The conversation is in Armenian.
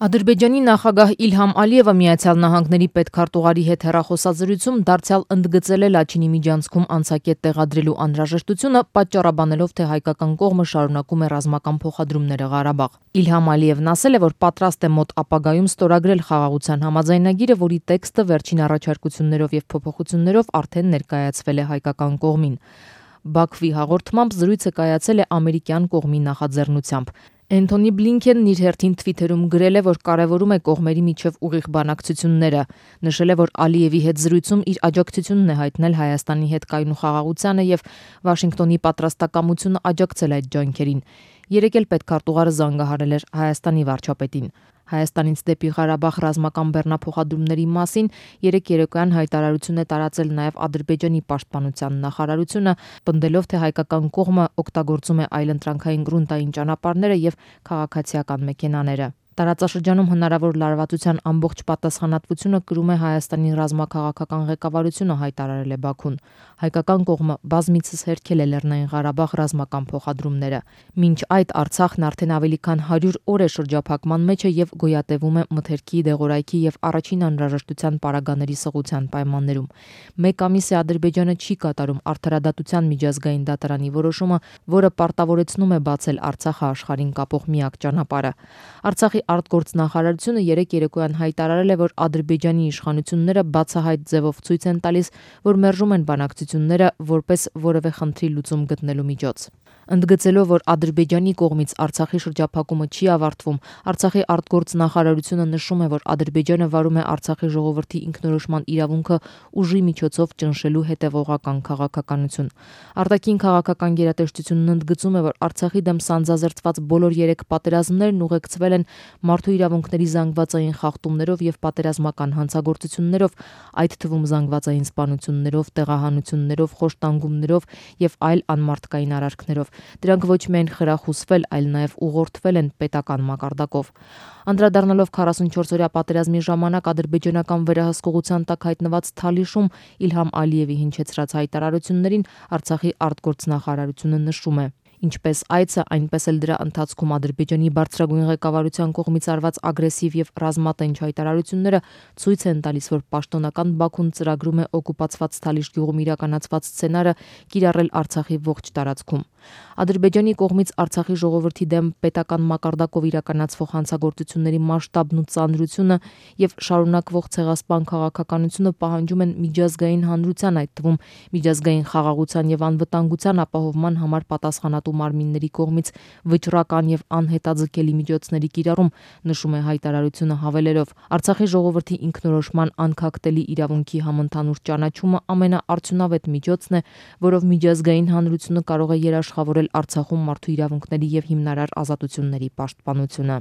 Ադրբեջանի նախագահ Իլհամ Ալիևը Միացյալ Նահանգների պետքարտուղարի հետ հեռախոսազրույցում դարձյալ ընդգծել է Լաչինի միջանցքում անցակետ տեղադրելու անհրաժեշտությունը, պատճառաբանելով, թե հայկական կողմը շարունակում է ռազմական փոխադրումները Ղարաբաղ։ Իլհամ Ալիևն ասել է, որ պատրաստ է մոտ ապագայում ստորագրել խաղաղության համաձայնագիրը, որի տեքստը վերջին առաջարկություններով եւ փոփոխություններով արդեն ներկայացվել է հայկական կողմին։ Բաքվի հաղորդմամբ զրույցը կայացել է ամերիկյան կողմի նախաձեռնությամբ։ Էնթոնի Բլինքենն իր հերթին թվիթերում գրել է, որ կարևորում է կողմերի միջև ուղիղ բանակցությունները, նշել է, որ Ալիևի հետ զրույցում իր աջակցությունն է հայտնել Հայաստանի հետ կայուն խաղաղությանը եւ Վաշինգտոնի պատրաստակամությունը աջակցել այդ ջանքերին։ Երեկ էլ պետքարտուղարը զանգահարել էր Հայաստանի վարչապետին։ Հայաստանից դեպի Ղարաբաղ ռազմական բեռնափոխադրումների մասին երեկ երեկոյան հայտարարություն է տարածել նաև Ադրբեջանի պաշտպանության նախարարությունը, պնդելով, թե հայկական կողմը օգտագործում է այլընտրանքային գրունտային ճանապարհները եւ քաղաքացիական մեքենաները։ Տարածաշրջանում հնարավոր լարվածության ամբողջ պատասխանատվությունը կրում է Հայաստանի ռազմաքաղաքական ղեկավարությունը, հայտարարել է Բաքուն։ Հայկական կողմը բազմիցս հերքել է Լեռնային Ղարաբաղ ռազմական փոխադրումները։ Մինչ այդ Արցախն արդեն ավելի քան 100 օր է շրջափակման մեջ է եւ գոյատևում է մթերքի, դեղորայքի եւ առաջին անհրաժեշտության պարագաների սղության պայմաններում։ Մեկ ամիս է Ադրբեջանը չի կատարում արդարադատության միջազգային դատարանի որոշումը, որը պարտավորեցնում է բացել Արցախը աշխարհին կապող միակ ճանապարհը։ Արցախի արտգործնախարարությունը երեկ երեկոյան հայտարարել է, որ Ադրբեջանի իշխանությունները բացահայտ ձևով ցույց են տալիս, որ մերժում են բանակցությունները որպես որևէ խնդրի լուծում գտնելու միջոց։ Ընդգծելով, որ Ադրբեջանի կողմից Արցախի շրջափակումը չի ավարտվում, Արցախի արտգործնախարարությունը նշում է, որ Ադրբեջանը վարում է Արցախի ժողովրդի ինքնորոշման իրավունքը ուժի միջոցով ճնշելու հետևողական քաղաքականություն։ Արտաքին քաղաքական գերատեսչությունն ընդգծում է, որ Արցախի դեմ սանձազերծված բոլոր 3 պատերազմներն ուղեկցվել են մարդու իրավունքների զանգվածային խախտումներով եւ պատերազմական հանցագործություններով, այդ թվում զանգվածային սպանություններով, տեղահանություններով, խոշտանգումներով եւ այլ անմարդկային արարքներով։ Դրանք ոչ միայն խրախուսվել, այլ նաև ուղղորդվել են պետական մակարդակով։ Անդրադառնալով 44-օրյա պատերազմի ժամանակ ադրբեջանական վերահսկողության տակ հայտնված Թալիշում Իլհամ Ալիևի հնչեցրած հայտարարություններին Արցախի արտգործնախարարությունը նշում է. Ինչպես այցը, այնպես էլ դրա ընթացքում Ադրբեջանի բարձրագույն ղեկավարության կողմից արված ագրեսիվ եւ ռազմատենչ հայտարարությունները ցույց են տալիս, որ պաշտոնական Բաքուն ծրագրում է օկուպացված Թալիշ գյուղում իրականացված սցենարը կիրառել Արցախի ողջ տարածքում։ Ադրբեջանի կողմից Արցախի ժողովրդի դեմ պետական մակարդակով իրականացվող հանցագործությունների մասշտաբն ու ծանրությունը եւ շարունակվող ցեղասպան քաղաքականությունը պահանջում են միջազգային հանրության, այդ թվում միջազգային խաղաղության եւ անվտանգության ապահովման համար պատասխանատու մարմինների կողմից վճռական եւ անհետաձգելի միջոցների կիրառում, նշում է հայտարարությունը հավելելով. Արցախի ժողովրդի ինքնորոշման անքակտելի իրավունքի համընդհանուր ճանաչումը ամենաարդյունավետ միջոցն է, որով միջազգային հանրությունը կարող է երաշխավորել Արցախում մարդու իրավունքների եւ հիմնարար ազատությունների պաշտպանությունը։